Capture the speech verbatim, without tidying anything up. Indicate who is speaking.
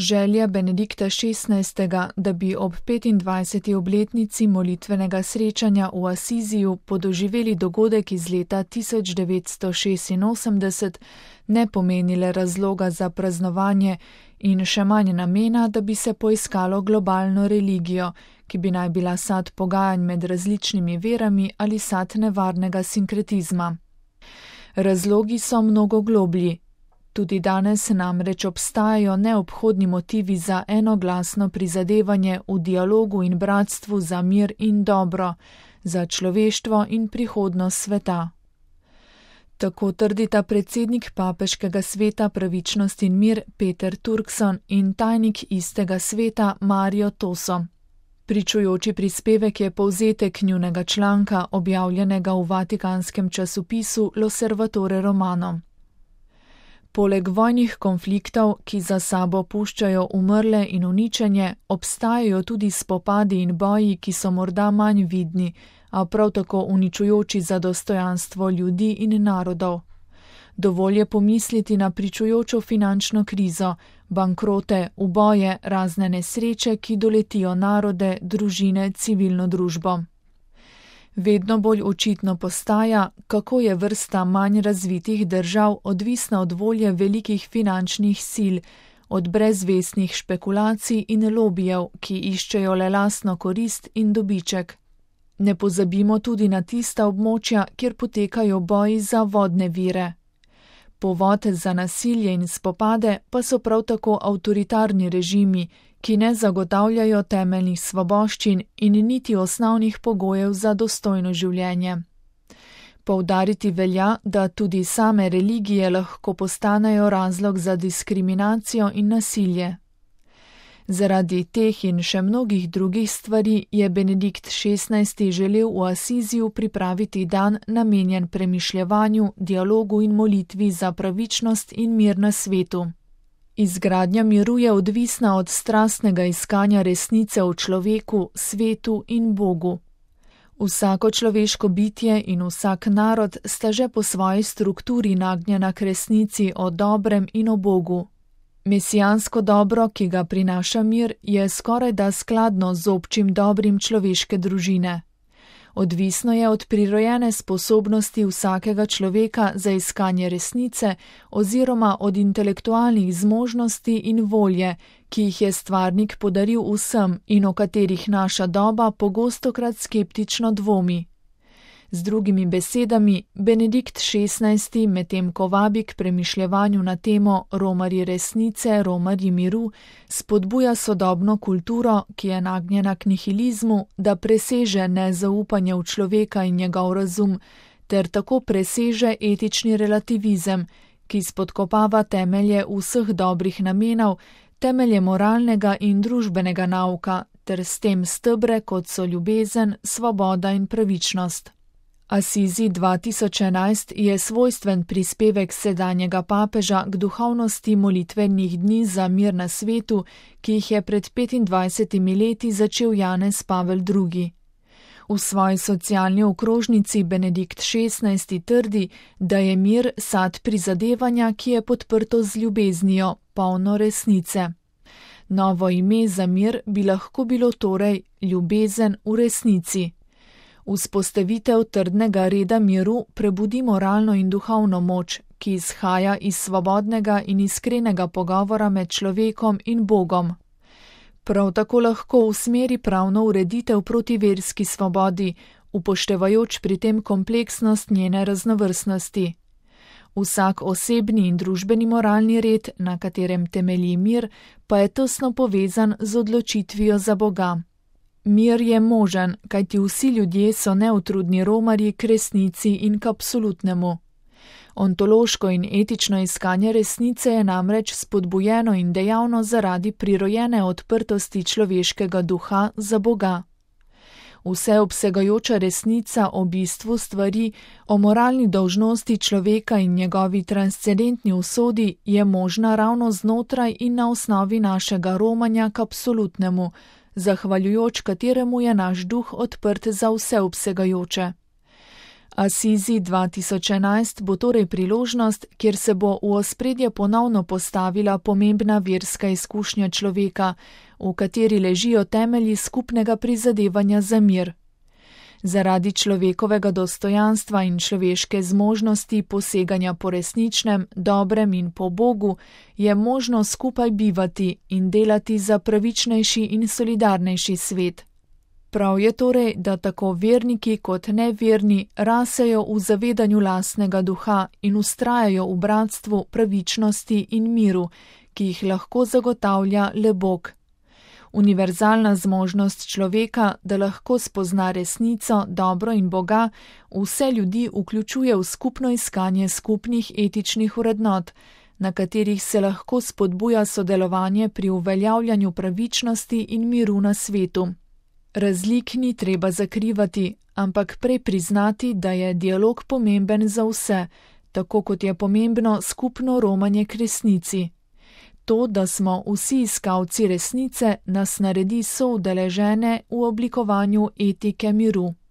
Speaker 1: Želja Benedikta šestnajstega, da bi ob petindvajseti obletnici molitvenega srečanja v Asiziju podoživeli dogodek iz leta tisoč devetsto šestinosemdeset, ne pomenile razloga za praznovanje in še manj namena, da bi se poiskalo globalno religijo, ki bi naj bila sad pogajanj med različnimi verami ali sad nevarnega sinkretizma. Razlogi so mnogo globlji. Tudi danes namreč obstajajo neobhodni motivi za enoglasno prizadevanje v dialogu in bratstvu za mir in dobro, za človeštvo in prihodnost sveta. Tako trdita predsednik Papeškega sveta Pravičnost in mir Peter Turkson in tajnik istega sveta Mario Toso. Pričujoči prispevek je povzetek njunega članka, objavljenega v vatikanskem časopisu L'Osservatore Romano. Poleg vojnih konfliktov, ki za sabo puščajo umrle in uničenje, obstajajo tudi spopadi in boji, ki so morda manj vidni, a prav tako uničujoči za dostojanstvo ljudi in narodov. Dovolj je pomisliti na pričujočo finančno krizo, bankrote, uboje, razne nesreče, ki doletijo narode, družine, civilno družbo. Vedno bolj očitno postaja, kako je vrsta manj razvitih držav odvisna od volje velikih finančnih sil, od brezvestnih špekulacij in lobijev, ki iščejo le lastno korist in dobiček. Ne pozabimo tudi na tista območja, kjer potekajo boji za vodne vire. Povod za nasilje in spopade pa so prav tako avtoritarni režimi, ki ne zagotavljajo temeljnih svoboščin in niti osnovnih pogojev za dostojno življenje. Poudariti velja, da tudi same religije lahko postanejo razlog za diskriminacijo in nasilje. Zaradi teh in še mnogih drugih stvari je Benedikt šestnajsti želel v Asiziju pripraviti dan namenjen premišljevanju, dialogu in molitvi za pravičnost in mir na svetu. Izgradnja miru je odvisna od strastnega iskanja resnice v človeku, svetu in Bogu. Vsako človeško bitje in vsak narod sta že po svoji strukturi nagnjena k resnici o dobrem in o Bogu. Mesijansko dobro, ki ga prinaša mir, je skorajda skladno z občim dobrim človeške družine. Odvisno je od prirojene sposobnosti vsakega človeka za iskanje resnice oziroma od intelektualnih zmožnosti in volje, ki jih je stvarnik podaril vsem in o katerih naša doba pogostokrat skeptično dvomi. Z drugimi besedami, Benedikt šestnajsti medtem ko vabi k premišljevanju na temo Romarji resnice, Romarji miru, spodbuja sodobno kulturo, ki je nagnjena k nihilizmu, da preseže nezaupanje v človeka in njegov razum, ter tako preseže etični relativizem, ki spodkopava temelje vseh dobrih namenov, temelje moralnega in družbenega nauka, ter s tem stebre, kot so ljubezen, svoboda in pravičnost. Asizi dva tisoč enajst je svojstven prispevek sedanjega papeža k duhovnosti molitvenih dni za mir na svetu, ki jih je pred petindvajsetimi leti začel Janez Pavel drugi. V svoji socialni okrožnici Benedikt šestnajsti trdi, da je mir sad prizadevanja, ki je podprto z ljubeznijo, polno resnice. Novo ime za mir bi lahko bilo torej ljubezen v resnici. Vzpostavitev trdnega reda miru prebudi moralno in duhovno moč, ki izhaja iz svobodnega in iskrenega pogovora med človekom in Bogom. Prav tako lahko usmeri pravno ureditev proti verski svobodi, upoštevajoč pri tem kompleksnost njene raznovrstnosti. Vsak osebni in družbeni moralni red, na katerem temelji mir, pa je tesno povezan z odločitvijo za Boga. Mir je možen, kajti vsi ljudje so neutrudni romarji k resnici in k absolutnemu. Ontološko in etično iskanje resnice je namreč spodbujeno in dejavno zaradi prirojene odprtosti človeškega duha za Boga. Vseobsegajoča resnica o bistvu stvari, o moralni dolžnosti človeka in njegovi transcendentni usodi je možna ravno znotraj in na osnovi našega romanja k absolutnemu, zahvaljujoč kateremu je naš duh odprt za vseobsegajoče. Asizi dva tisoč enajst bo torej priložnost, kjer se bo v ospredje ponovno postavila pomembna verska izkušnja človeka, v kateri ležijo temelji skupnega prizadevanja za mir. Zaradi človekovega dostojanstva in človeške zmožnosti poseganja po resničnem, dobrem in po Bogu je možno skupaj bivati in delati za pravičnejši in solidarnejši svet. Prav je torej, da tako verniki kot neverni rasejo v zavedanju lastnega duha in vztrajajo v bratstvu, pravičnosti in miru, ki jih lahko zagotavlja le Bog. Univerzalna zmožnost človeka, da lahko spozna resnico, dobro in Boga, vse ljudi vključuje v skupno iskanje skupnih etičnih vrednot, na katerih se lahko spodbuja sodelovanje pri uveljavljanju pravičnosti in miru na svetu. Razlik ni treba zakrivati, ampak prej priznati, da je dialog pomemben za vse, tako kot je pomembno skupno romanje k resnici. To, da smo vsi iskalci resnice, nas naredi soudeležene v oblikovanju etike miru.